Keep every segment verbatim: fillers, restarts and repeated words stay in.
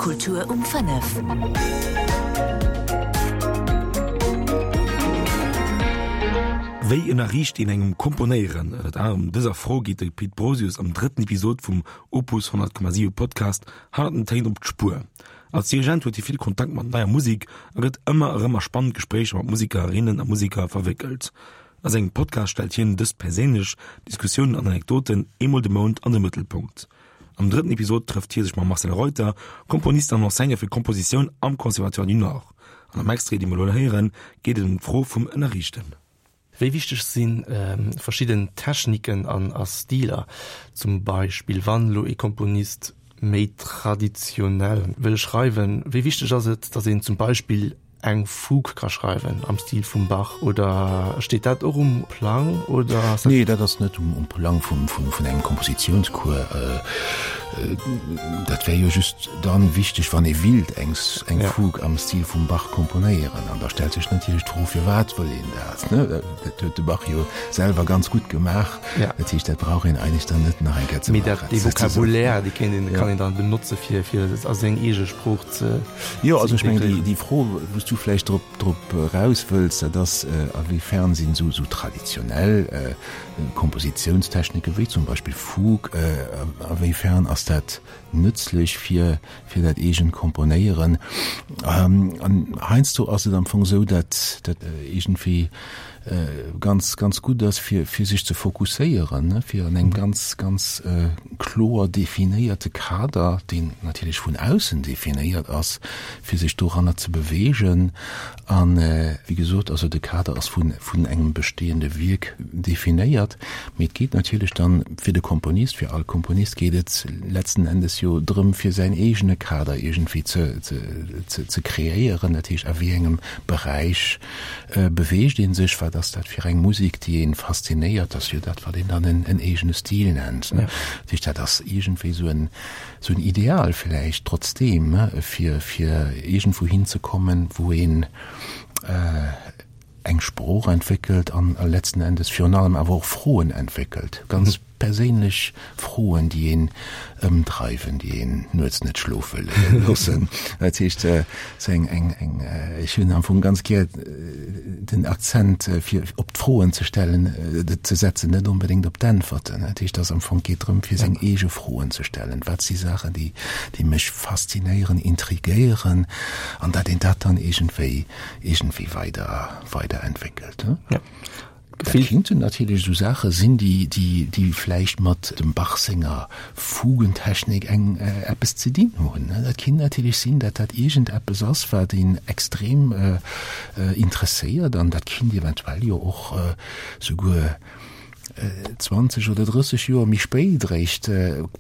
Kultur um fënnef. Wéi ënnerriicht een engem Komponéieren? Ënnert anerem dëser Fro geet de Pit Brosius am drëtten Episod vum Opus honnert Komma siwe Podcast Hannert den Téin op d'Spuer. Als Dirigent huet hie vill Kontakt mat neier Musek a gëtt ëmmer erëm a spannend Gespréicher mat Musekerinnen a Museker verwéckelt. A sengem Podcast stellt hien dës perséinlech Diskussiounen an Anekdoten eemol de Mount an de Mëttelpunkt. Am drëtten Episod trëfft hie sech mam Marcel Reuter, Komponist an Enseignant fir Kompositioun am Conservatoire du Nord. An am Extrait, dee mer elo héieren, geet et ëm d'Fro vum Ënnerriichten. Wéi wichteg si verschidden Techniken an a Stiler? Zum Beispill wann elo ee Komponist méi traditionell wëll schreiwen, wéi wichteg ass et, datt een zum Beispill eng Fugue ka schreiwen am Stil vum Bach? Oder steet dat och um Plang oder ass dat? Nee, dat ass net um Plang vun engem Kompositiounscours. Dat wär jo just dann wichteg, wann ee willt eng Fugue am Stil vum Bach komponéieren. An da stellt sech natierlech d'Fro, firwat wëll een dat? Dat huet de Bach jo selwer ganz gutt gemaach. Dat heescht, dat brauch een eigentlech dann net nach eng Kéier ze maachen. Mee dat, dee Vocabulaire, dee kéint een, kann een dann benotze fir, fir et a seng eege Sprooch ze. Jo, also ech mengen, déi Fro, wou s du vläicht drop, drop eraus wëlls, dat ass, a wéi fern sinn esou, esou traditionell Kompositiounstechnike wéi zum Beispill Fugue, a wéi fern ass dat nëtzlech fir fir dat eegent Komponéieren? An heiansdo ass et am Fong esou, dat dat iergendwéi ganz ganz gutt ass fir fir sech ze fokusséieren, fir an engem ganz ganz kloer definéierte Kader, deen natierlech vun aussen definéiert ass, fir sech doranner ze beweegen. An wéi gesot, also de Kader ass vun vun engem bestehende Wierk definéiert, mee et geet natierlech dann fir de Komponist, fir all Komponist geet et letzten Endes jo drëm fir säin eegene Kader iergendwéi ze ze ze kreéieren, dat heescht a wéi engem Beräich beweegt ee sech, wat ass dat fir eng Musek déi een faszinéiert, ass jo dat wat een dann en eegene Stil nennt. Dat heescht dat ass iergendwéi esou en esou en Ideal vläicht trotzdeem, fir fir iergendwou hinzekommen, wou een eng Sprooch entwéckelt an letzten Endes virun allem awer och Froen entwéckelt, ganz perséinlech Froen, déi een ëmdreiwen, déi een nuets net schlofe loossen. Dat heescht, sou eng, eng, eng, ech hunn am Fong ganz gär den Akzent fir op d'Froen ze stellen, ze setzen, net onbedéngt op d'Äntwerten. Dat heescht, dass am Fong geet drëm, fir seng eege Froen ze stellen. Wat si Saachen, déi, déi mech faszinéieren, intrigéieren, an dat een dat dann iergendwéi, iergendwéi weider, weiderentwéckelt. Ja. Dat kinnten natierlech esou Saache sinn, déi, déi, déi vläicht mat dem Bach senger Fugentechnik eng, eppes ze dinn hunn. Dat kinnt natierlech sinn, dat dat iergendeppes ass, wat een extrem interesséiert, an dat kinnt eventuell jo och souguer zwanzeg oder drësseg Joer méi spéit eréischt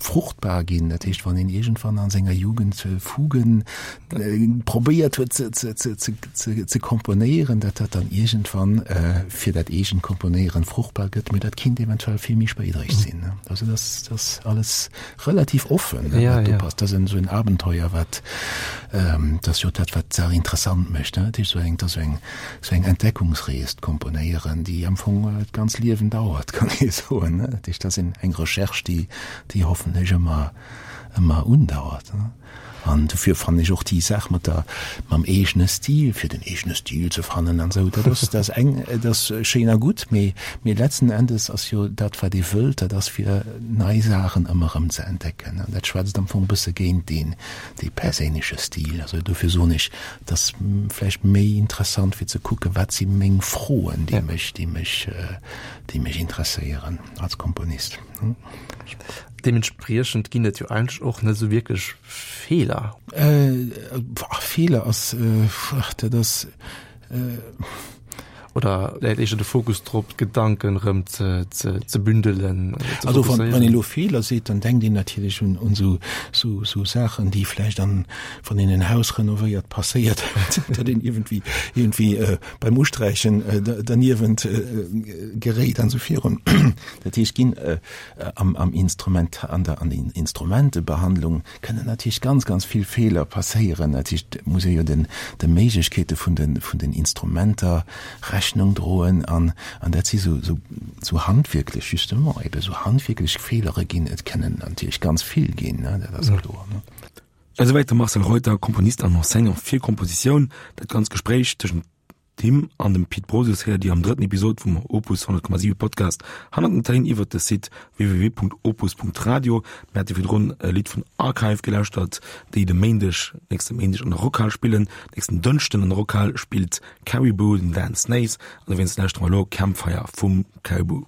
fruchtbar ginn. Dat heescht, wann een iergendwann a senger Jugend Fugen probéiert huet ze komponéieren, datt dat dann iergendwann fir dat eegent Komponéieren fruchtbar gëtt. Mee dat kinnt eventuell vill méi spéit eréischt sinn. Also dat ass alles relativ offen, wat do passt. Dat ass esou en Abenteuer, wat, dat ass jo dat, wat d'Saach interessant mécht. Dat heescht, esou eng, esou eng Entdeckungsrees, d'Komponéieren, déi am Fong d'ganz Liewen dauert, kann ee soen. Dat heescht, dat ass eng Recherche, déi, déi hoffentlech ëmmer, ëmmer undauert. An dofir fannen ech och déi Saach mat der, mam eegene Stil, fir den eegene Stil ze fannen an esou, dat ass, dat ass eng, dat ass schéin a gutt, mee, mee letzten Endes ass jo dat, wat ee wëllt, dat ass fir nei Saachen ëmmer erëm ze entdecken. An dat schwätzt am Fong e bësse géint deen, dee perséinleche Stil. Also dofir soen ech, et ass vläicht méi interessant fir ze kucken, wat si meng Froen, déi mech, déi mech, déi mech interesséieren als Komponist. Deementspriechend ginn et jo eigentlech och net esou wierklech Feeler. Feeler ass, dat ass. Oder läit éischter de Fokus drop, d'Gedanken erëm ze, ze, ze bündelen? Ze Also wann, wann een elo Feeler seet, dann denkt een natierlech un, un sou, sou, sou Saachen, déi vläicht an, wann een en Haus renovéiert, passéiert, datt een iergendwéi, iergendwéi äh, beim Usträichen äh, derniewent äh, geréit an esou virun. Dat heescht, ginn äh, am, am Instrument, an der, an den Instrumentebehandlung kënnen natierlech ganz, ganz vill Feeler passéieren. Dat heescht, et muss ee jo den, de Méiglechkeete vun den, vun den Instrumenter Rechnung droen an, an dat si sou, sou, sou handwierklech, justement, ebe sou handwierklech Feelere ginn. Et kënnen natierlech ganz vill ginn, ne, dat ass kloer, ne. Esouwäit de Marcel Reuter, Komponist an Enseignant fir Kompositioun. Dat ganz Gespréich tëschent him an dem Pit Brosius héiert Dir am drëtten Episod vum Opus honnert Komma siwe Podcast Hannert den Téin iwwert de Site www.opus.radio. Mir hate virdrun e Lidd vun Archive gelauschtert, déi de Méindeg, nächste Méindeg an der Rockhal spillen. Nächsten Dënschden an der Rockhal spillt Caribou den Dan Snaith an dowéinst lauschtere mer elo Campfire vum Caribou.